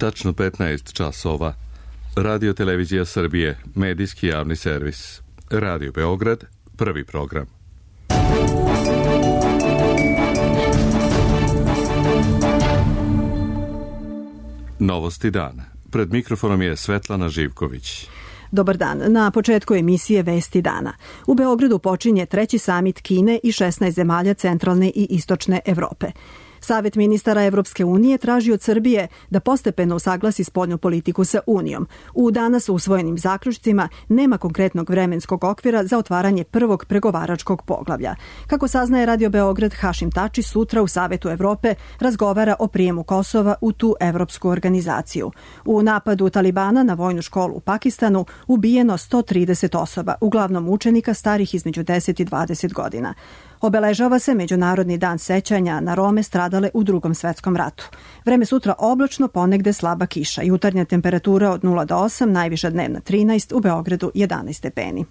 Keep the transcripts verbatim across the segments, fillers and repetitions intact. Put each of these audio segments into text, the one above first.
Tačno petnaest časova. Radio Televizija Srbije, medijski javni servis. Radio Beograd, prvi program. Novosti dana. Pred mikrofonom je Svetlana Živković. Dobar dan. Na početku emisije Vesti dana. U Beogradu počinje treći samit Kine i šesnaest zemalja centralne i istočne Evrope. Savet ministara Evropske unije traži od Srbije da postepeno usaglasi spoljnu politiku sa Unijom. U danas usvojenim zaključcima nema konkretnog vremenskog okvira za otvaranje prvog pregovaračkog poglavlja. Kako saznaje Radio Beograd, Hašim Tači sutra u Savetu Evrope razgovara o prijemu Kosova u tu evropsku organizaciju. U napadu Talibana na vojnu školu u Pakistanu ubijeno sto trideset osoba, uglavnom učenika starih između deset i dvadeset godina. Obeležava se Međunarodni dan sećanja na Rome stradale u Drugom svetskom ratu. Vreme sutra oblačno, ponegde slaba kiša. Jutarnja temperatura od nula do osam, najviša dnevna trinaest, u Beogradu jedanaest stepeni.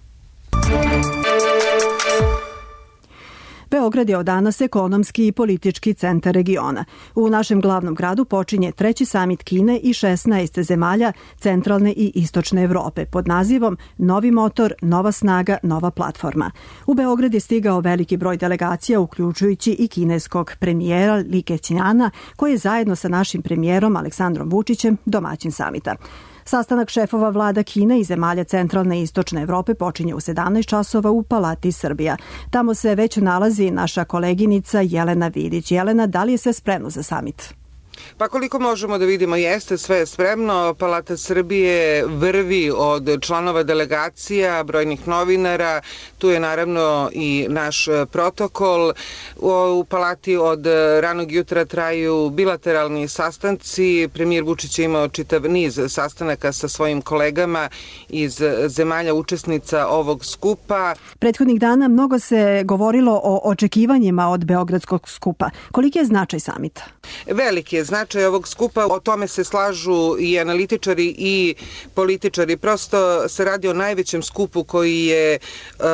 Beograd je od danas ekonomski i politički centar regiona. U našem glavnom gradu počinje treći samit Kine i šesnaest zemalja centralne i istočne Evrope pod nazivom Novi motor, nova snaga, nova platforma. U Beograd je stigao veliki broj delegacija, uključujući i kineskog premijera Li Keqiana, koji je zajedno sa našim premijerom Aleksandrom Vučićem domaćin samita. Sastanak šefova vlada Kine i zemalja centralne i istočne Evrope počinje u sedamnaest časova u Palati Srbija. Tamo se već nalazi naša koleginica Jelena Vidić. Jelena, da li je sve spremno za samit? Pa koliko možemo da vidimo, jeste sve spremno. Palata Srbije vrvi od članova delegacija, brojnih novinara, tu je naravno i naš protokol. U palati od ranog jutra traju bilateralni sastanci. Premijer Vučić je imao čitav niz sastanaka sa svojim kolegama iz zemalja učesnica ovog skupa. Prethodnih dana mnogo se govorilo o očekivanjima od Beogradskog skupa. Koliki je značaj samita? Veliki je značaj ovog skupa, o tome se slažu i analitičari i političari. Prosto se radi o najvećem skupu koji je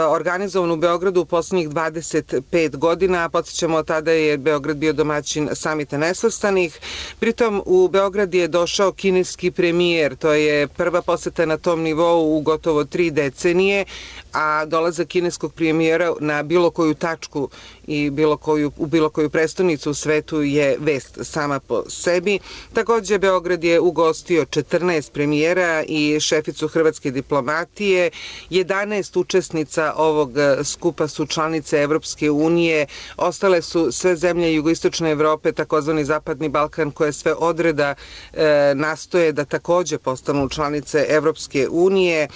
organizovan u Beogradu u poslednjih dvadeset pet godina. Podsjećamo, tada je Beograd bio domaćin Samita nesvrstanih. Pritom u Beograd je došao kineski premijer. To je prva poseta na tom nivou u gotovo tri decenije, a dolazak kineskog premijera na bilo koju tačku i bilo koju, u bilo koju prestonicu u svetu je vest sama po sebi. Takođe, Beograd je ugostio četrnaest premijera i šeficu hrvatske diplomatije. jedanaest učesnica ovog skupa su članice Evropske unije. Ostale su sve zemlje jugoistočne Evrope, takozvani Zapadni Balkan, koje sve odreda e, nastoje da takođe postanu članice Evropske unije.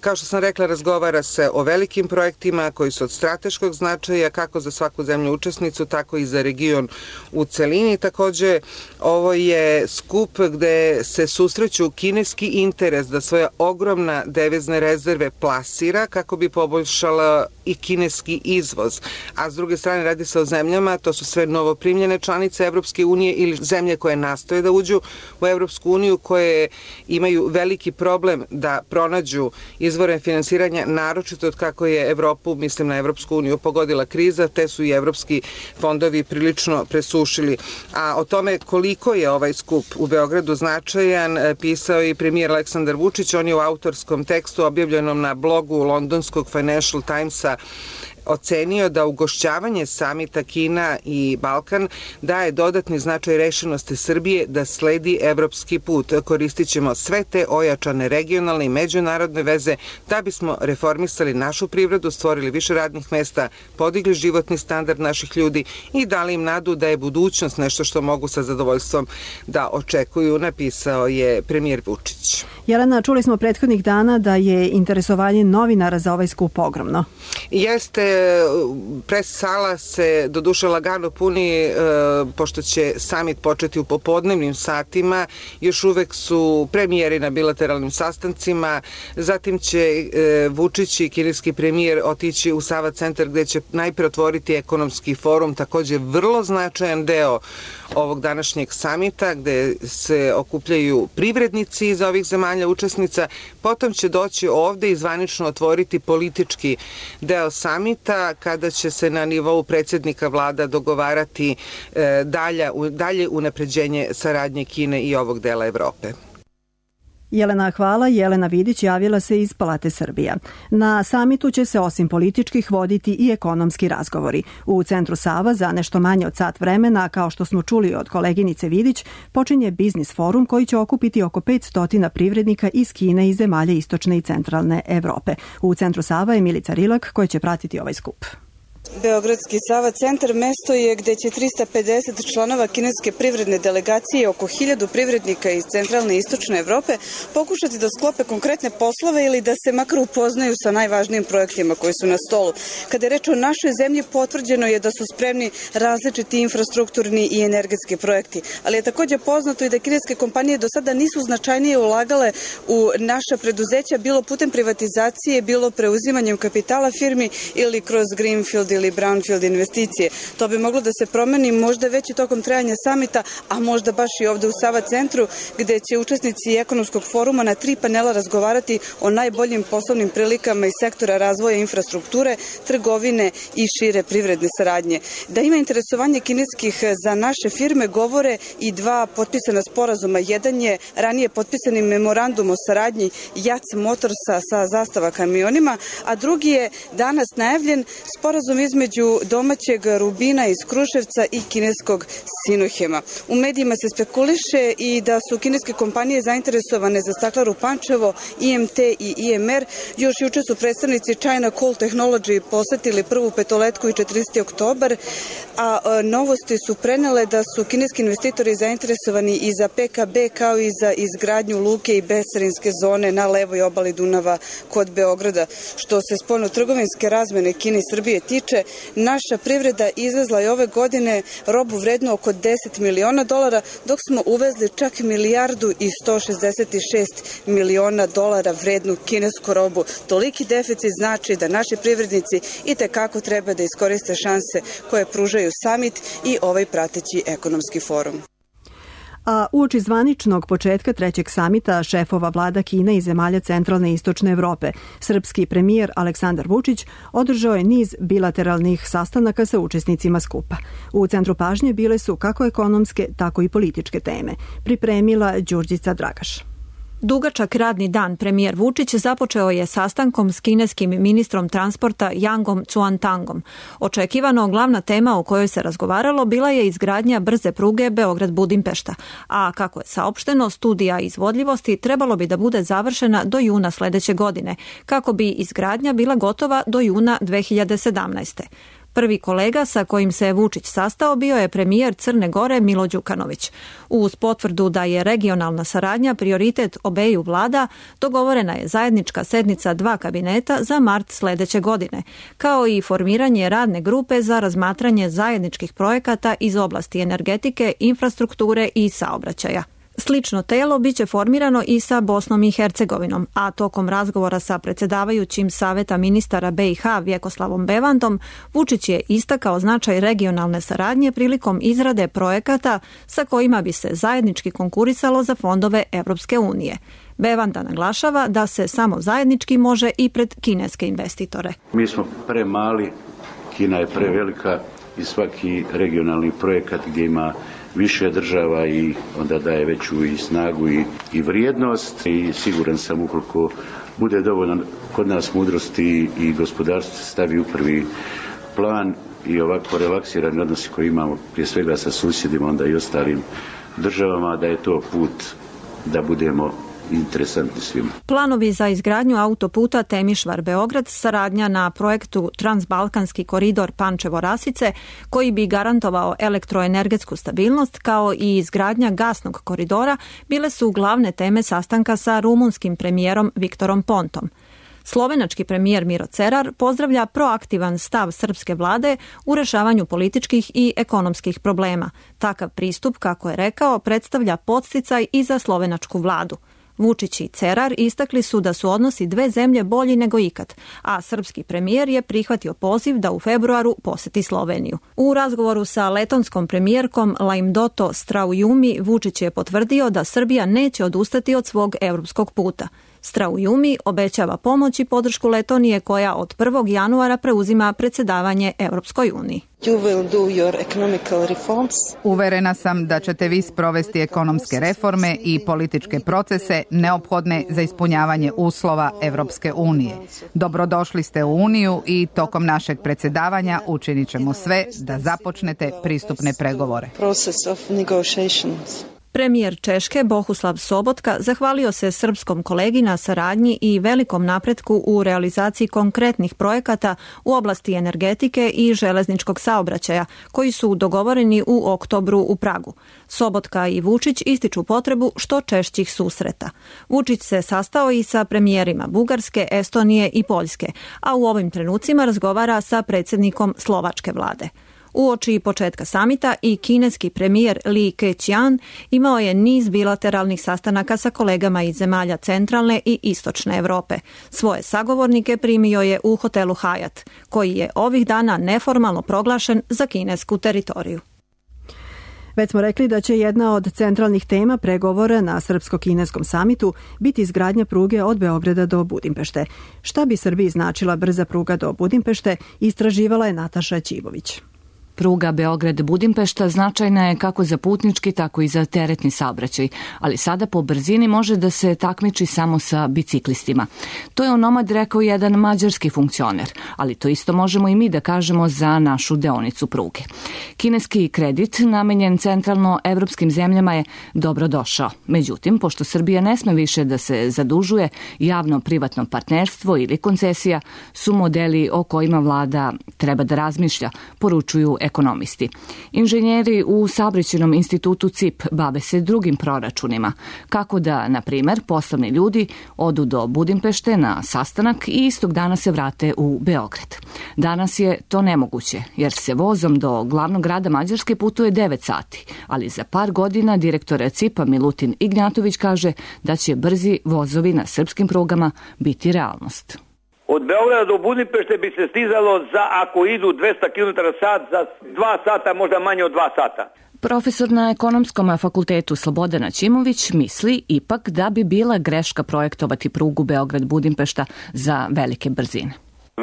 Kao što sam rekla, razgovara se o velikim projektima koji su od strateškog značaja kako za svaku zemlju učesnicu, tako i za region u celini. Takođe, ovo je skup gde se susreću kineski interes da svoje ogromna devizne rezerve plasira kako bi poboljšala i kineski izvoz. A s druge strane radi se o zemljama, to su sve novoprimljene članice Evropske unije ili zemlje koje nastoje da uđu u Evropsku uniju, koje imaju veliki problem da pronađu izvore finansiranja, naročito od kako je Evropu, mislim na Evropsku uniju, pogodila kriza, te su i evropski fondovi prilično presušili. A o tome koliko je ovaj skup u Beogradu značajan pisao i premijer Aleksandar Vučić. On je u autorskom tekstu objavljenom na blogu londonskog Financial Timesa ocenio da ugošćavanje samita Kina i Balkan daje dodatni značaj rešenosti Srbije da sledi evropski put. Koristit ćemo sve te ojačane regionalne i međunarodne veze da bismo reformisali našu privredu, stvorili više radnih mesta, podigli životni standard naših ljudi i dali im nadu da je budućnost nešto što mogu sa zadovoljstvom da očekuju, napisao je premijer Vučić. Jelena, čuli smo prethodnih dana da je interesovanje novinara za ovaj skup ogromno. Jeste, pres sala se doduše lagano puni, e, pošto će samit početi u popodnevnim satima. Još uvek su premijeri na bilateralnim sastancima, zatim će e, Vučić i kineski premijer otići u Sava centar gde će najpre otvoriti ekonomski forum, takođe vrlo značajan deo ovog današnjeg samita gde se okupljaju privrednici iz ovih zemalja učesnica. Potom će doći ovde i zvanično otvoriti politički deo samita samita kada će se na nivou predsjednika vlada dogovarati dalje, dalje unapređenje saradnje Kine i ovog dela Evrope. Jelena, hvala. Jelena Vidić javila se iz Palate Srbija. Na samitu će se osim političkih voditi i ekonomski razgovori. U Centru Sava za nešto manje od sat vremena, kao što smo čuli od koleginice Vidić, počinje biznis forum koji će okupiti oko petsto privrednika iz Kine i zemalja istočne i centralne Evrope. U Centru Sava je Milica Rilak koji će pratiti ovaj skup. Beogradski Sava centar mesto je gde će trista pedeset članova kineske privredne delegacije i oko hiljadu privrednika iz centralne i istočne Evrope pokušati da sklope konkretne poslove ili da se makar upoznaju sa najvažnijim projektima koji su na stolu. Kada je reč o našoj zemlji, potvrđeno je da su spremni različiti infrastrukturni i energetski projekti, ali je takođe poznato i da kineske kompanije do sada nisu značajnije ulagale u naša preduzeća, bilo putem privatizacije, bilo preuzimanjem kapitala firmi ili kroz greenfield ili brownfield investicije. To bi moglo da se promeni možda već i tokom trajanja samita, a možda baš i ovde u Sava centru, gde će učesnici ekonomskog foruma na tri panela razgovarati o najboljim poslovnim prilikama iz sektora razvoja infrastrukture, trgovine i šire privredne saradnje. Da ima interesovanje kineskih za naše firme govore i dva potpisana sporazuma. Jedan je ranije potpisani memorandum o saradnji Jac Motorsa sa Zastava kamionima, a drugi je danas najavljen sporazum između domaćeg Rubina iz Kruševca i kineskog Sinohema. U medijima se spekuliše i da su kineske kompanije zainteresovane za Staklaru Pančevo, I M T i I M R. Još juče su predstavnici China Coal Technology posetili prvu petoletku i četrdeset oktobar, a novosti su prenele da su kineski investitori zainteresovani i za P K B kao i za izgradnju luke i bescarinske zone na levoj obali Dunava kod Beograda. Što se spoljno-trgovinske razmene Kine i Srbije tiče, naša privreda izvezla je ove godine robu vrednu oko deset miliona dolara, dok smo uvezli čak milijardu i sto šezdeset šest miliona dolara vrednu kinesku robu. Toliki deficit znači da naši privrednici i tekako treba da iskoriste šanse koje pružaju samit i ovaj prateći ekonomski forum. A uoči zvaničnog početka trećeg samita šefova vlada Kine i zemalja centralne i istočne Evrope, srpski premijer Aleksandar Vučić održao je niz bilateralnih sastanaka sa učesnicima skupa. U centru pažnje bile su kako ekonomske, tako i političke teme. Pripremila Đurđica Dragaš. Dugačak radni dan premijer Vučić započeo je sastankom s kineskim ministrom transporta Yangom Cuantangom. Očekivano glavna tema o kojoj se razgovaralo bila je izgradnja brze pruge Beograd-Budimpešta, a kako je saopšteno, studija izvodljivosti trebalo bi da bude završena do juna sledeće godine, kako bi izgradnja bila gotova do juna dve hiljade sedamnaeste. Prvi kolega sa kojim se Vučić sastao bio je premijer Crne Gore Milo Đukanović. Uz potvrdu da je regionalna saradnja prioritet obeju vlada, dogovorena je zajednička sednica dva kabineta za mart sledeće godine, kao i formiranje radne grupe za razmatranje zajedničkih projekata iz oblasti energetike, infrastrukture i saobraćaja. Slično telo biće formirano i sa Bosnom i Hercegovinom, a tokom razgovora sa predsjedavajućim Saveta ministara B i H Vjekoslavom Bevandom, Vučić je istakao značaj regionalne saradnje prilikom izrade projekata sa kojima bi se zajednički konkurisalo za fondove Evropske unije. Bevanda naglašava da se samo zajednički može i pred kineske investitore. Mi smo premali, Kina je prevelika i svaki regionalni projekat gdje ima više država i onda daje veću i snagu i, i vrijednost i siguran sam ukoliko bude dovoljno kod nas mudrosti i gospodarstvo se stavi u prvi plan i ovako relaksirani odnosi koji imamo prije svega sa susjedima, onda i ostalim državama, da je to put da budemo interesantni svima. Planovi za izgradnju autoputa Temišvar-Beograd, saradnja na projektu Transbalkanski koridor Pančevo-Rasice, koji bi garantovao elektroenergetsku stabilnost, kao i izgradnja gasnog koridora, bile su glavne teme sastanka sa rumunskim premijerom Viktorom Pontom. Slovenački premijer Miro Cerar pozdravlja proaktivan stav srpske vlade u rešavanju političkih i ekonomskih problema. Takav pristup, kako je rekao, predstavlja podsticaj i za slovenačku vladu. Vučić i Cerar istakli su da su odnosi dve zemlje bolji nego ikad, a srpski premijer je prihvatio poziv da u februaru poseti Sloveniju. U razgovoru sa letonskom premijerkom Laimdoto Straujumi, Vučić je potvrdio da Srbija neće odustati od svog evropskog puta. Straujumi obećava pomoć i podršku Letonije koja od prvog januara preuzima predsjedavanje Europskoj uniji. Uverena sam da ćete vi sprovesti ekonomske reforme i političke procese neophodne za ispunjavanje uslova Europske unije. Dobrodošli ste u Uniju i tokom našeg predsjedavanja učinit ćemo sve da započnete pristupne pregovore. Premijer Češke Bohuslav Sobotka zahvalio se srpskom kolegi na saradnji i velikom napretku u realizaciji konkretnih projekata u oblasti energetike i železničkog saobraćaja, koji su dogovoreni u oktobru u Pragu. Sobotka i Vučić ističu potrebu što češćih susreta. Vučić se sastao i sa premijerima Bugarske, Estonije i Poljske, a u ovim trenucima razgovara sa predsjednikom slovačke vlade. Uoči početka samita i kineski premijer Li Keqiang imao je niz bilateralnih sastanaka sa kolegama iz zemalja centralne i istočne Europe. Svoje sagovornike primio je u hotelu Hyatt, koji je ovih dana neformalno proglašen za kinesku teritoriju. Već smo rekli da će jedna od centralnih tema pregovora na srpsko-kineskom samitu biti izgradnja pruge od Beograda do Budimpešte. Šta bi Srbiji značila brza pruga do Budimpešte, istraživala je Nataša Ćibović. Pruga Beograd-Budimpešta značajna je kako za putnički, tako i za teretni saobraćaj, ali sada po brzini može da se takmiči samo sa biciklistima. To je onomad rekao jedan mađarski funkcioner, ali to isto možemo i mi da kažemo za našu deonicu pruge. Kineski kredit namenjen centralno evropskim zemljama je dobro došao. Međutim, pošto Srbija ne sme više da se zadužuje, javno-privatno partnerstvo ili koncesija su modeli o kojima vlada treba da razmišlja, poručuju ekonomisti. Inženjeri u Saobraćajnom institutu C I P bave se drugim proračunima, kako da, na primer, poslovni ljudi odu do Budimpešte na sastanak i istog dana se vrate u Beograd. Danas je to nemoguće, jer se vozom do glavnog grada Mađarske putuje devet sati, ali za par godina direktor C I P-a Milutin Ignjatović kaže da će brzi vozovi na srpskim prugama biti realnost. Od Beograda do Budimpešte bi se stizalo za, ako idu dvesta kilometara sat, za dva sata, možda manje od dva sata. Profesor na Ekonomskom fakultetu Slobodan Aćimović misli ipak da bi bila greška projektovati prugu Beograd-Budimpešta za velike brzine.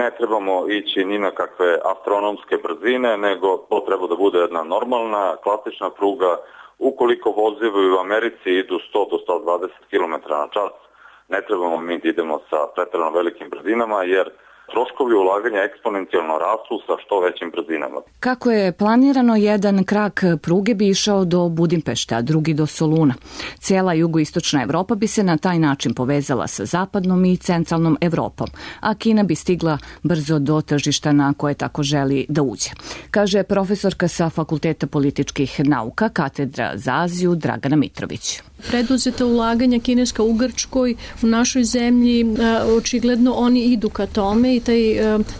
Ne trebamo ići ni na kakve astronomske brzine, nego to treba da bude jedna normalna, klasična pruga. Ukoliko vozovi u Americi idu sto do sto dvadeset kilometara na čas, ne trebamo mi da idemo sa preterano velikim brzinama, jer troškovi ulaganja eksponencijalno rastu sa što većim brzinama. Kako je planirano, jedan krak pruge bi išao do Budimpešta, a drugi do Soluna. Cijela jugoistočna Evropa bi se na taj način povezala sa zapadnom i centralnom Evropom, a Kina bi stigla brzo do tržišta na koje tako želi da uđe. Kaže profesorka sa Fakulteta političkih nauka, katedra za Aziju, Dragana Mitrović. Preduzeta ulaganja kineska u Grčkoj, u našoj zemlji, očigledno oni idu ka tome i taj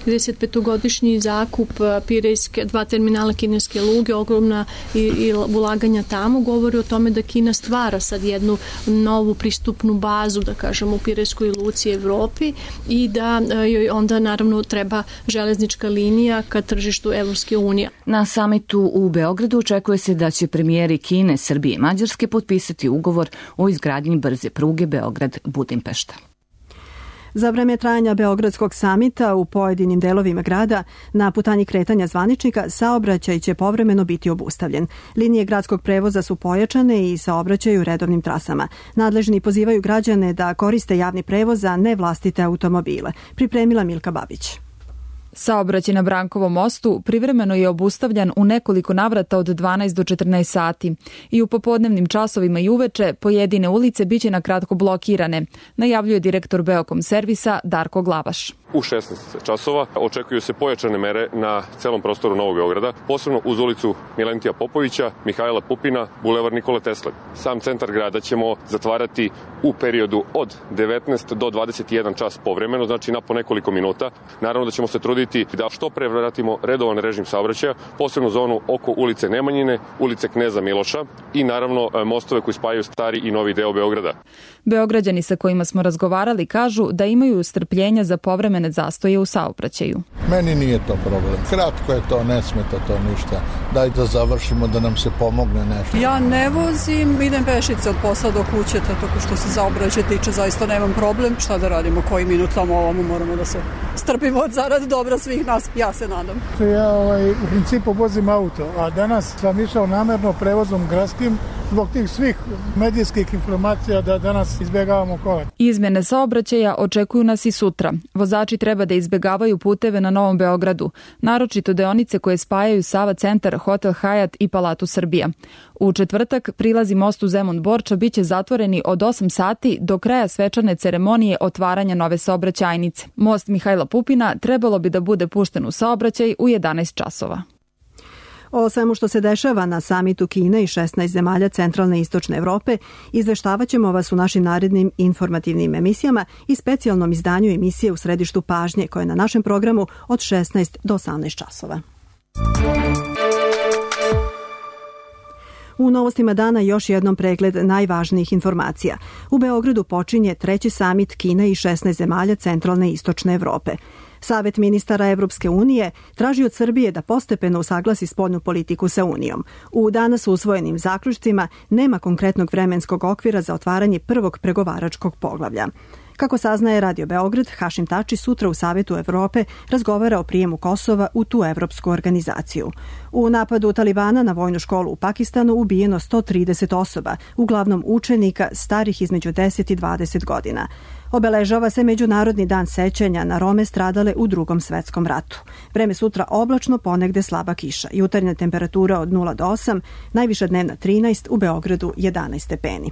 trideset petogodišnji zakup Pirejske, dva terminala kineske luge, ogromna i, i ulaganja tamo, govori o tome da Kina stvara sad jednu novu pristupnu bazu, da kažemo, u Pirejskoj luci Evropi i da joj onda naravno treba železnička linija ka tržištu Evropske unije. Na samitu u Beogradu očekuje se da će premijeri Kine, Srbije i Mađarske potpisati ugovor o izgradnji brze pruge Beograd-Budimpešta. Za vreme trajanja Beogradskog samita u pojedinim delovima grada na putanji kretanja zvaničnika saobraćaj će povremeno biti obustavljen. Linije gradskog prevoza su pojačane i saobraćaju redovnim trasama. Nadležni pozivaju građane da koriste javni prevoz, a ne vlastite automobile. Pripremila Milka Babić. Saobraćaj na Brankovom mostu privremeno je obustavljan u nekoliko navrata od dvanaest do četrnaest sati i u popodnevnim časovima i uveče pojedine ulice biće na kratko blokirane, najavljuje direktor Beokom servisa Darko Glavaš. U šesnaest časova očekuju se pojačane mere na celom prostoru Novog Beograda, posebno uz ulicu Milentija Popovića, Mihajla Pupina, Bulevar Nikole Tesle. Sam centar grada ćemo zatvarati u periodu od devetnaest do dvadeset jedan čas povremeno, znači na po nekoliko minuta. Naravno da ćemo se truditi potruditi da što pre vratimo redovan režim saobraćaja, posebno zonu oko ulice Nemanjine, ulice Kneza Miloša i naravno mostove koji spajaju stari i novi deo Beograda. Beograđani sa kojima smo razgovarali kažu da imaju strpljenja za povremene zastoje u saobraćaju. Meni nije to problem. Kratko je to, ne smeta to ništa. Daj da završimo, da nam se pomogne nešto. Ja ne vozim, idem pešice od posla do kuće, tako što se saobraćaj tiče, zaista nemam problem. Šta da radimo, koji minut tamo ovamo moramo da se strpimo od zarad dobra svih nas, ja se nadam. Ja ovaj, u principu vozim auto, a danas sam išao namerno prevozom gradskim zbog tih svih medijskih informacija da danas izbjegavamo kola. Izmjene saobraćaja očekuju nas i sutra. Vozači treba da izbjegavaju puteve na Novom Beogradu, naročito deonice koje spajaju Sava centar, Hotel Hyatt i Palatu Srbija. U četvrtak prilazi mostu Zemun Borča biće zatvoreni od osam sati do kraja svečane ceremonije otvaranja nove saobraćajnice. Most Mihajla Pupina trebalo bi da bude pušten u saobraćaj u jedanaest časova. O svemu što se dešava na samitu Kine i šesnaest zemalja centralne i istočne Evrope izveštavaćemo vas u našim narednim informativnim emisijama i specijalnom izdanju emisije U središtu pažnje koje je na našem programu od šesnaest do osamnaest časova. U novostima dana još jednom pregled najvažnijih informacija. U Beogradu počinje treći samit Kine i šesnaest zemalja centralne i istočne Evrope. Savet ministara Evropske unije traži od Srbije da postepeno usaglasi spoljnu politiku sa Unijom. U danas usvojenim zaključcima nema konkretnog vremenskog okvira za otvaranje prvog pregovaračkog poglavlja. Kako saznaje Radio Beograd, Hašim Tači sutra u Savetu Evrope razgovara o prijemu Kosova u tu evropsku organizaciju. U napadu Talibana na vojnu školu u Pakistanu ubijeno sto trideset osoba, uglavnom učenika starih između deset i dvadeset godina. Obeležava se Međunarodni dan sećanja na Rome stradale u Drugom svetskom ratu. Vreme sutra oblačno, ponegde slaba kiša. Jutarnja temperatura od nula do osam, najviša dnevna trinaest, u Beogradu jedanaest stepeni.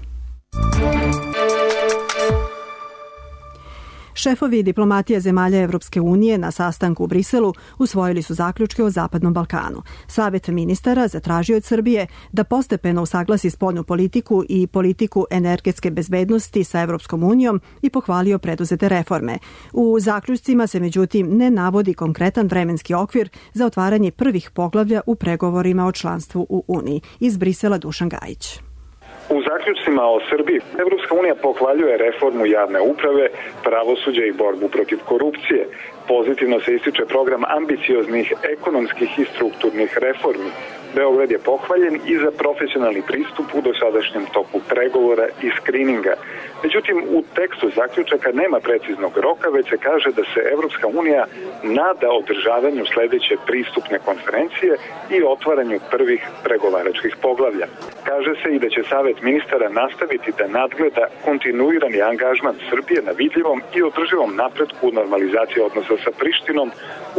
Šefovi diplomatije zemalja Evropske unije na sastanku u Briselu usvojili su zaključke o Zapadnom Balkanu. Savet ministara zatražio od Srbije da postepeno usaglasi spoljnu politiku i politiku energetske bezbednosti sa Evropskom unijom i pohvalio preduzete reforme. U zaključcima se međutim ne navodi konkretan vremenski okvir za otvaranje prvih poglavlja u pregovorima o članstvu u Uniji. Iz Brisela Dušan Gajić. U zaključcima o Srbiji, Evropska unija pohvaljuje reformu javne uprave, pravosuđa i borbu protiv korupcije. Pozitivno se ističe program ambicioznih ekonomskih i strukturnih reformi. Beograd je pohvaljen i za profesionalni pristup u dosadašnjem toku pregovora i skrininga. Međutim, u tekstu zaključaka nema preciznog roka, već se kaže da se Evropska unija nada održavanju sledeće pristupne konferencije i otvaranju prvih pregovaračkih poglavlja. Kaže se i da će Savet ministara nastaviti da nadgleda kontinuirani angažman Srbije na vidljivom i održivom napretku u normalizaciji odnosa sa Prištinom,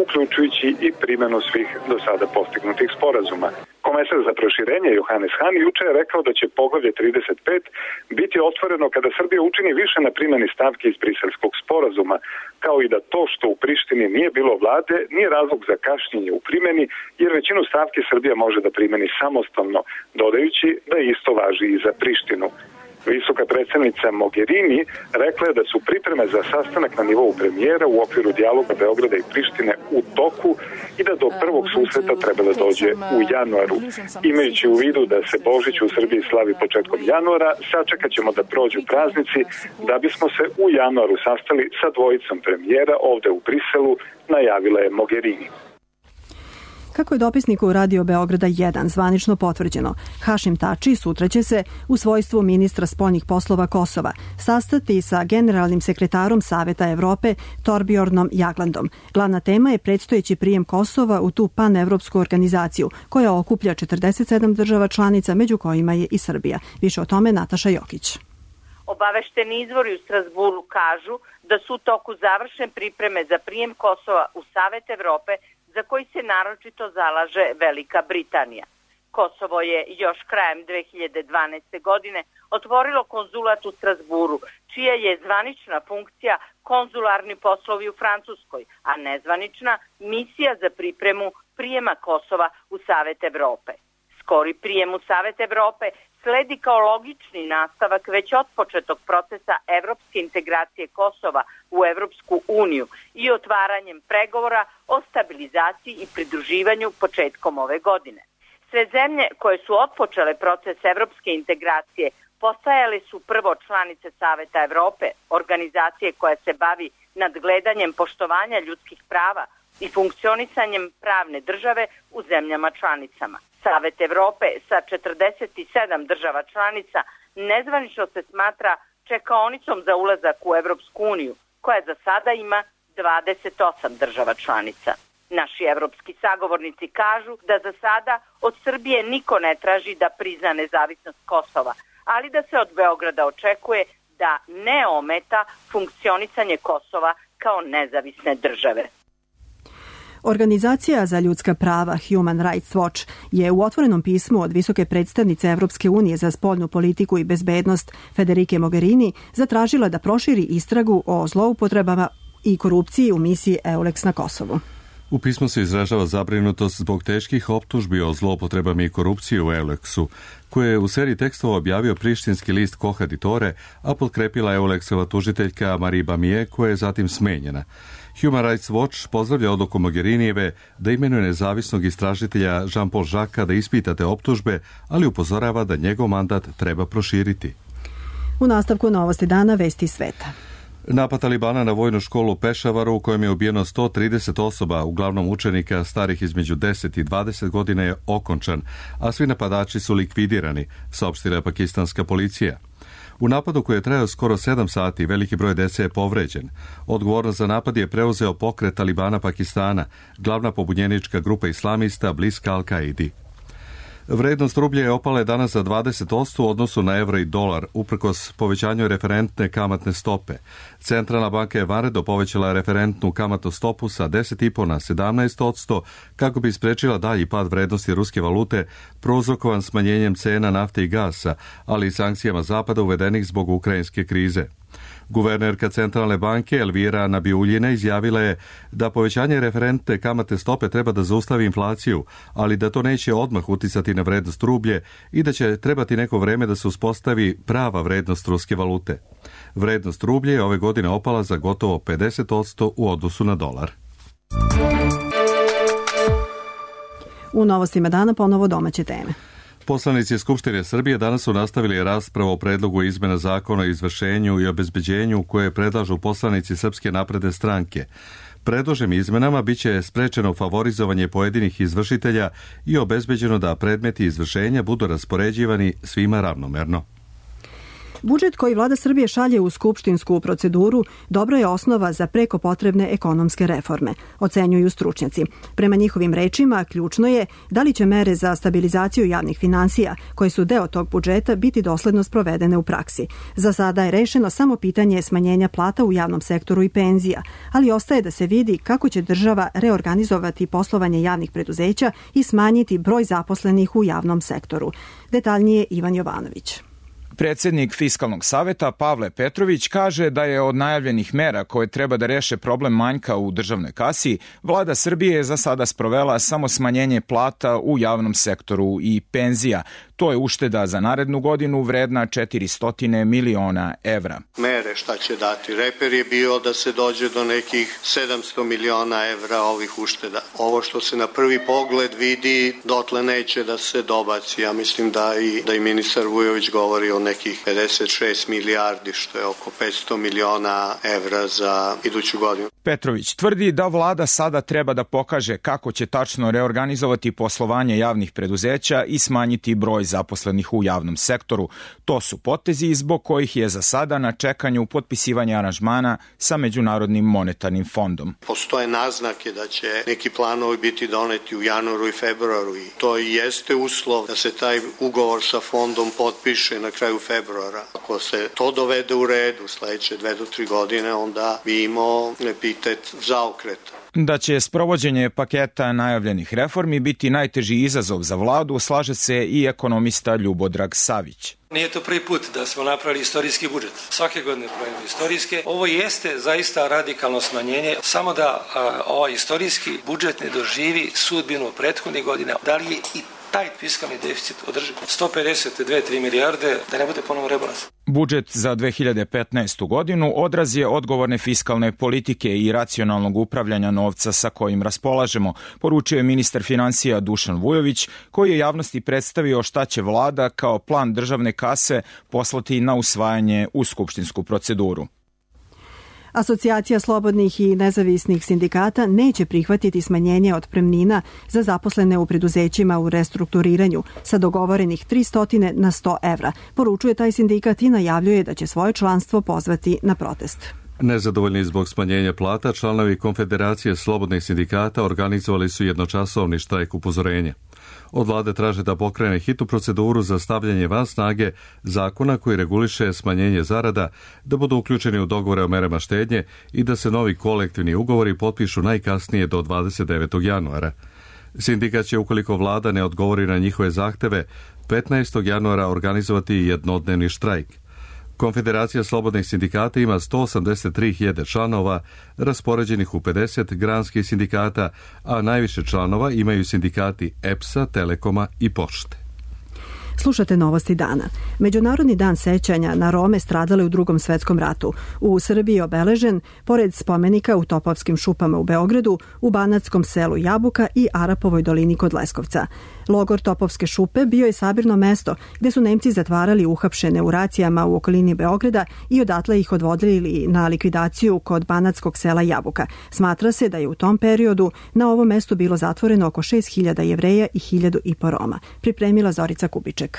uključujući i primjenu svih do sada postignutih sporazuma. Komesar za proširenje Johannes Hahn juče je rekao da će poglavlje trideset pet biti otvoreno kada Srbija učini više na primjeni stavke iz Briselskog sporazuma, kao i da to što u Prištini nije bilo vlade nije razlog za kašnjenje u primjeni, jer većinu stavki Srbija može da primjeni samostalno, dodajući da isto važi i za Prištinu. Visoka predsednica Mogherini rekla je da su pripreme za sastanak na nivou premijera u okviru dijaloga Beograda i Prištine u toku i da do prvog susreta treba da dođe u januaru. Imajući u vidu da se Božić u Srbiji slavi početkom januara, sačekat ćemo da prođu praznici da bismo se u januaru sastali sa dvojicom premijera ovde u Briselu, najavila je Mogherini. Kako je dopisniku Radio Beograda jedan zvanično potvrđeno, Hašim Tači sutra će se u svojstvu ministra spoljnih poslova Kosova sastati sa generalnim sekretarom Saveta Evrope Torbjornom Jaglandom. Glavna tema je predstojeći prijem Kosova u tu panevropsku organizaciju koja okuplja četrdeset sedam država članica, među kojima je i Srbija. Više o tome Nataša Jokić. Obavešteni izvori u Strasburu kažu da su u toku završen pripreme za prijem Kosova u Savet Evrope, za koji se naročito zalaže Velika Britanija. Kosovo je još krajem dve hiljade dvanaeste. godine otvorilo konzulat u Strasburu, čija je zvanična funkcija konzularni poslovi u Francuskoj, a nezvanična misija za pripremu prijema Kosova u Savet Evrope. Skori prijem u Savet Evrope sledi kao logični nastavak već otpočetog procesa evropske integracije Kosova u Evropsku uniju i otvaranjem pregovora o stabilizaciji i pridruživanju početkom ove godine. Sve zemlje koje su otpočele proces evropske integracije postajale su prvo članice Saveta Evrope, organizacije koja se bavi nadgledanjem poštovanja ljudskih prava i funkcionisanjem pravne države u zemljama članicama. Savet Evrope sa četrdeset sedam država članica nezvanično se smatra čekaonicom za ulazak u Evropsku uniju, koja za sada ima dvadeset osam država članica. Naši evropski sagovornici kažu da za sada od Srbije niko ne traži da prizna nezavisnost Kosova, ali da se od Beograda očekuje da ne ometa funkcionisanje Kosova kao nezavisne države. Organizacija za ljudska prava Human Rights Watch je u otvorenom pismu od visoke predstavnice Evropske unije za spoljnu politiku i bezbednost Federike Mogherini zatražila da proširi istragu o zloupotrebama i korupciji u misiji EULEX na Kosovu. U pismu se izražava zabrinutost zbog teških optužbi o zloupotrebama i korupciji u EULEX-u, koje je u seriji tekstova objavio prištinski list Koha Ditore, a potkrepila EULEX-ova tužiteljka Marie Bamije, koja je zatim smenjena. Human Rights Watch pozdravlja odluku Mogherinijeve da imenuje nezavisnog istražitelja Jean-Paul Jacquesa da ispita te optužbe, ali upozorava da njegov mandat treba proširiti. U nastavku Novosti dana vesti sveta. Napad Talibana na vojnu školu u Pešavaru, u kojem je ubijeno sto trideset osoba, uglavnom učenika starih između deset i dvadeset godina, je okončan, a svi napadači su likvidirani, saopštila je pakistanska policija. U napadu koji je trajao skoro sedam sati, veliki broj dece je povređen. Odgovornost za napad je preuzeo pokret Talibana Pakistana, glavna pobunjenička grupa islamista bliska Al-Kaidi. Vrednost rublja je opala danas za dvadeset posto u odnosu na evro i dolar, uprkos povećanju referentne kamatne stope. Centralna banka je vanredno povećala referentnu kamatnu stopu sa deset zarez pet na sedamnaest posto kako bi sprečila dalji pad vrednosti ruske valute, prouzrokovan smanjenjem cena nafte i gasa, ali i sankcijama Zapada uvedenih zbog ukrajinske krize. Guvernerka Centralne banke Elvira Nabiuljina izjavila je da povećanje referentne kamatne stope treba da zaustavi inflaciju, ali da to neće odmah uticati na vrednost rublje i da će trebati neko vreme da se uspostavi prava vrednost ruske valute. Vrednost rublje je ove godine opala za gotovo pedeset posto u odnosu na dolar. U novostima dana ponovo domaće teme. Poslanici Skupštine Srbije danas su nastavili raspravu o predlogu izmena zakona o izvršenju i obezbeđenju koje predlažu poslanici Srpske napredne stranke. Predloženim izmenama biće sprečeno favorizovanje pojedinih izvršitelja i obezbeđeno da predmeti izvršenja budu raspoređivani svima ravnomerno. Budžet koji vlada Srbije šalje u skupštinsku proceduru dobro je osnova za preko potrebne ekonomske reforme, ocenjuju stručnjaci. Prema njihovim rečima, ključno je da li će mere za stabilizaciju javnih finansija, koje su deo tog budžeta, biti dosledno sprovedene u praksi. Za sada je rešeno samo pitanje smanjenja plata u javnom sektoru i penzija, ali ostaje da se vidi kako će država reorganizovati poslovanje javnih preduzeća i smanjiti broj zaposlenih u javnom sektoru. Detaljnije Ivan Jovanović. Predsednik Fiskalnog saveta Pavle Petrović kaže da je od najavljenih mera koje treba da reše problem manjka u državnoj kasi, vlada Srbije je za sada sprovela samo smanjenje plata u javnom sektoru i penzija. To je ušteda za narednu godinu vredna četiristo miliona evra. Mere šta će dati? Reper je bio da se dođe do nekih sedamsto miliona evra ovih ušteda. Ovo što se na prvi pogled vidi, dotle neće da se dobaci. Ja mislim da i, da i ministar Vujović govori o nekih pedeset šest milijardi, što je oko petsto miliona evra za iduću godinu. Petrović tvrdi da vlada sada treba da pokaže kako će tačno reorganizovati poslovanje javnih preduzeća i smanjiti broj zaposlenih u javnom sektoru. To su potezi zbog kojih je za sada na čekanju potpisivanja aranžmana sa Međunarodnim monetarnim fondom. Postoje naznake da će neki planovi biti doneti u januaru i februaru i to i jeste uslov da se taj ugovor sa fondom potpiše na kraju februara. Ako se to dovede u red u sledeće dve do tri godine, onda bi imao epitet zaokreta. Da će sprovođenje paketa najavljenih reformi biti najteži izazov za vladu, slaže se i ekonomista Ljubodrag Savić. Nije to prvi put da smo napravili istorijski budžet. Svake godine pravimo istorijske. Ovo jeste zaista radikalno smanjenje. Samo da a, ovaj istorijski budžet ne doživi sudbinu prethodnih godina. Da li je i taj fiskalni deficit održi. sto pedeset dve do tri milijarde, da ne bude ponovo rebalans. Budžet za dve hiljade petnaestu. godinu odraz je odgovorne fiskalne politike i racionalnog upravljanja novca sa kojim raspolažemo, poručio je ministar finansija Dušan Vujović, koji je javnosti predstavio šta će vlada kao plan državne kase poslati na usvajanje u skupštinsku proceduru. Asocijacija slobodnih i nezavisnih sindikata neće prihvatiti smanjenje otpremnina za zaposlene u preduzećima u restrukturiranju sa dogovorenih tristo na sto evra. Poručuje taj sindikat i najavljuje da će svoje članstvo pozvati na protest. Nezadovoljni zbog smanjenja plata, članovi Konfederacije slobodnih sindikata organizovali su jednočasovni štrajk upozorenja. Od vlade traže da pokrene hitnu proceduru za stavljanje van snage zakona koji reguliše smanjenje zarada, da budu uključeni u dogovore o merama štednje i da se novi kolektivni ugovori potpišu najkasnije do dvadeset devetog januara. Sindikat će, ukoliko vlada ne odgovori na njihove zahteve, petnaestog januara organizovati jednodnevni štrajk. Konfederacija slobodnih sindikata ima sto osamdeset tri hiljade članova, raspoređenih u pedeset granskih sindikata, a najviše članova imaju sindikati E P S-a, Telekoma i Pošte. Slušate novosti dana. Međunarodni dan sećanja na Rome stradale u Drugom svetskom ratu. U Srbiji je obeležen, pored spomenika u Topovskim šupama u Beogradu, u banatskom selu Jabuka i Arapovoj dolini kod Leskovca. Logor Topovske šupe bio je sabirno mesto gde su Nemci zatvarali uhapšene u racijama u okolini Beograda i odatle ih odvodili na likvidaciju kod banatskog sela Jabuka. Smatra se da je u tom periodu na ovom mestu bilo zatvoreno oko šest hiljada Jevreja i hiljadu i po Roma. Pripremila Zorica Kubiček.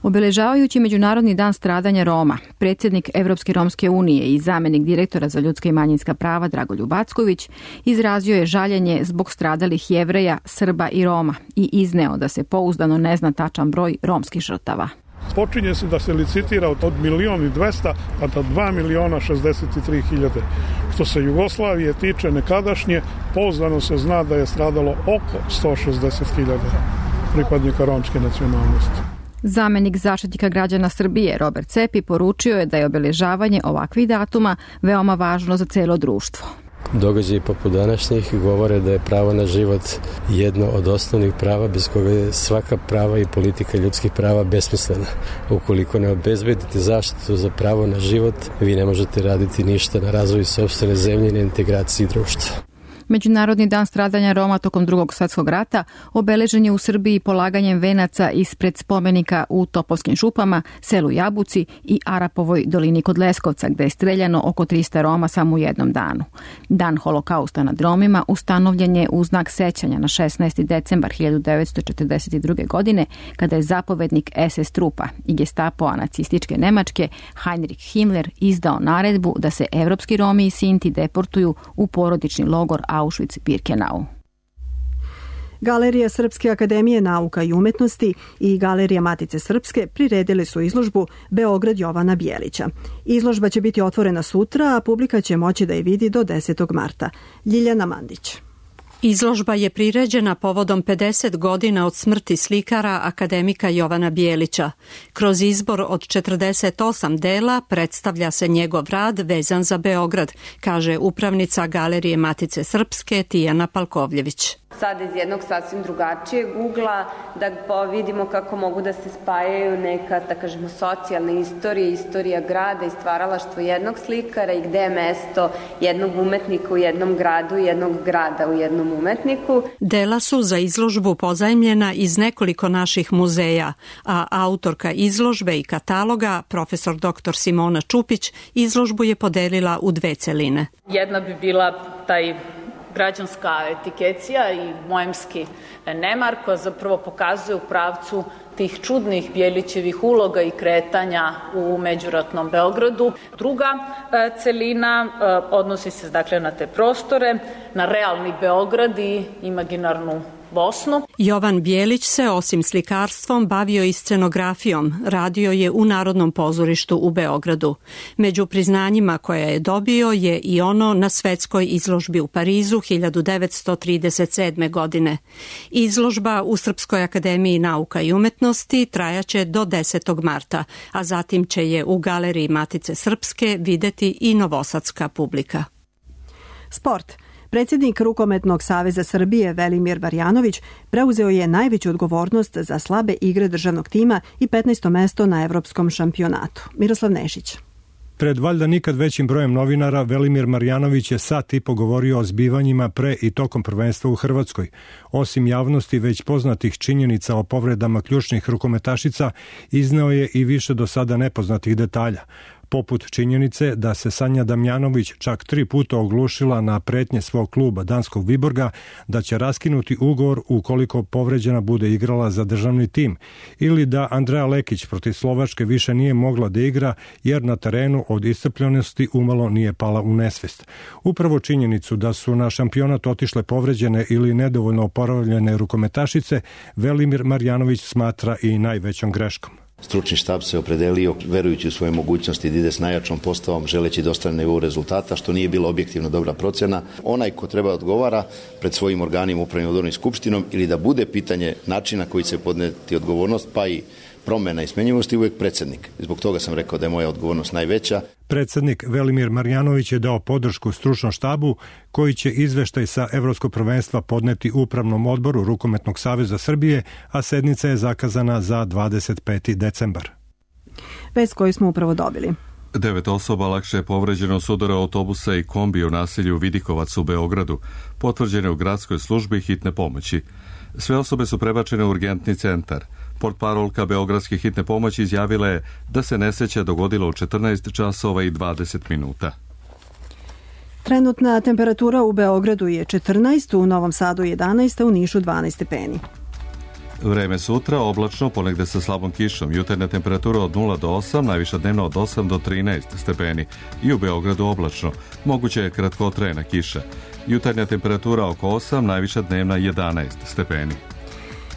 Obeležavajući Međunarodni dan stradanja Roma, predsjednik Evropske romske unije i zamenik direktora za ljudska i manjinska prava Dragoljub Acković izrazio je žaljenje zbog stradalih Jevreja, Srba i Roma i izneo da se pouzdano ne zna tačan broj romskih žrtava. Počinje se da se licitira od milion i dvesta pa do dva miliona šezdeset tri hiljade. Što se Jugoslavije tiče nekadašnje, pouzdano se zna da je stradalo oko sto šezdeset hiljada pripadnika romske nacionalnosti. Zamenik zaštitnika građana Srbije Robert Cepi poručio je da je obeležavanje ovakvih datuma veoma važno za celo društvo. Događaji poput današnjih govore da je pravo na život jedno od osnovnih prava bez koga je svaka prava i politika ljudskih prava besmislena. Ukoliko ne obezbedite zaštitu za pravo na život, vi ne možete raditi ništa na razvoju sopstvene zemlje i na integraciji društva. Međunarodni dan stradanja Roma tokom Drugog svjetskog rata obeležen je u Srbiji polaganjem venaca ispred spomenika u Topovskim šupama, selu Jabuci i Arapovoj dolini kod Leskovca, gde je streljano oko trista Roma samo u jednom danu. Dan holokausta nad Romima ustanovljen je u znak sećanja na šesnaesti decembar hiljadu devetsto četrdeset druge. godine, kada je zapovednik es es trupa i gestapoa nacističke Nemačke Heinrich Himmler izdao naredbu da se evropski Romi i Sinti deportuju u porodični logor Auschwitz-Birkenau. Galerija Srpske akademije nauka i umetnosti i Galerija Matice Srpske priredili su izložbu Beograd Jovana Bijelića. Izložba će biti otvorena sutra, a publika će moći da je vidi do desetog marta. Ljiljana Mandić. Izložba je priređena povodom pedeset godina od smrti slikara akademika Jovana Bijelića. Kroz izbor od četrdeset osam dela predstavlja se njegov rad vezan za Beograd, kaže upravnica Galerije Matice Srpske Tijana Palkovljević. Sad iz jednog sasvim drugačijeg ugla da vidimo kako mogu da se spajaju neka, da kažemo, socijalna istorija, istorija grada i stvaralaštvo jednog slikara i gde je mesto jednog umetnika u jednom gradu i jednog grada u jednom umetniku. Dela su za izložbu pozajmljena iz nekoliko naših muzeja, a autorka izložbe i kataloga, profesor doktor Simona Čupić, izložbu je podelila u dve celine. Jedna bi bila taj građanska etikecija i mojemski nemar koja zapravo pokazuje u pravcu tih čudnih Bijelićevih uloga i kretanja u međuratnom Beogradu. Druga celina odnosi se dakle na te prostore, na realni Beograd i imaginarnu Bosnu. Jovan Bijelić se osim slikarstvom bavio i scenografijom, radio je u Narodnom pozorištu u Beogradu. Među priznanjima koja je dobio je i ono na svetskoj izložbi u Parizu hiljadu devetsto trideset sedme. godine. Izložba u Srpskoj akademiji nauka i umetnosti trajaće do desetog marta, a zatim će je u Galeriji Matice Srpske videti i novosadska publika. Sport. Predsjednik Rukometnog saveza Srbije Velimir Marjanović preuzeo je najveću odgovornost za slabe igre državnog tima i petnaesto mesto na evropskom šampionatu. Miroslav Nešić. Pred valjda nikad većim brojem novinara, Velimir Marjanović je sat i po govorio o zbivanjima pre i tokom prvenstva u Hrvatskoj. Osim javnosti već poznatih činjenica o povredama ključnih rukometašica, izneo je i više do sada nepoznatih detalja, poput činjenice da se Sanja Damjanović čak tri puta oglušila na pretnje svog kluba Danskog Viborga da će raskinuti ugovor ukoliko povređena bude igrala za državni tim, ili da Andreja Lekić protiv Slovačke više nije mogla da igra jer na terenu od iscrpljenosti umalo nije pala u nesvest. Upravo činjenicu da su na šampionat otišle povređene ili nedovoljno oporavljene rukometašice Velimir Marjanović smatra i najvećom greškom. Stručni štab se opredelio, verujući u svoje mogućnosti da ide s najjačom postavom, želeći da ostane na nivou rezultata, što nije bilo objektivno dobra procena. Onaj ko treba odgovara pred svojim organima upravnim odborom i skupštinom ili da bude pitanje načina koji će podneti odgovornost, pa i promena i smenjivosti, uvijek predsjednik. Zbog toga sam rekao da je moja odgovornost najveća. Predsjednik Velimir Marjanović je dao podršku stručnom štabu koji će izveštaj sa Evropskog prvenstva podneti Upravnom odboru Rukometnog saveza Srbije, a sednica je zakazana za dvadeset peti decembar. Vest koju smo upravo dobili. Devet osoba lakše je povređeno s udara autobusa i kombi u naselju Vidikovac u Beogradu, potvrđene u gradskoj službi hitne pomoći. Sve osobe su prebačene u urgentni centar. Portparolka Beogradske hitne pomoći izjavila je da se nesreća dogodila u četrnaest časova i dvadeset minuta. Trenutna temperatura u Beogradu je četrnaest, u Novom Sadu jedanaest, a u Nišu dvanaest stepeni. Vreme sutra oblačno, ponegde sa slabom kišom. Jutarnja temperatura od nula do osam, najviša dnevna od osam do trinaest stepeni. I u Beogradu oblačno, moguće je kratkotrajna kiša. Jutarnja temperatura oko osam, najviša dnevna jedanaest stepeni.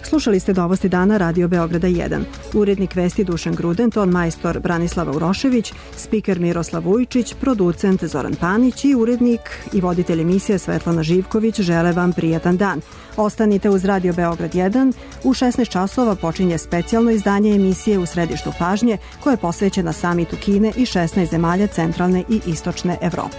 Slušali ste Novosti dana Radio Beograda jedan. Urednik vesti Dušan Gruden, ton majstor Branislava Urošević, spiker Miroslav Vujčić, producent Zoran Panić i urednik i voditelj emisije Svetlana Živković žele vam prijatan dan. Ostanite uz Radio Beograd jedan. U šesnaest časova počinje specijalno izdanje emisije U središtu pažnje koje je posvećena samitu Kine i šesnaest zemalja centralne i istočne Evrope.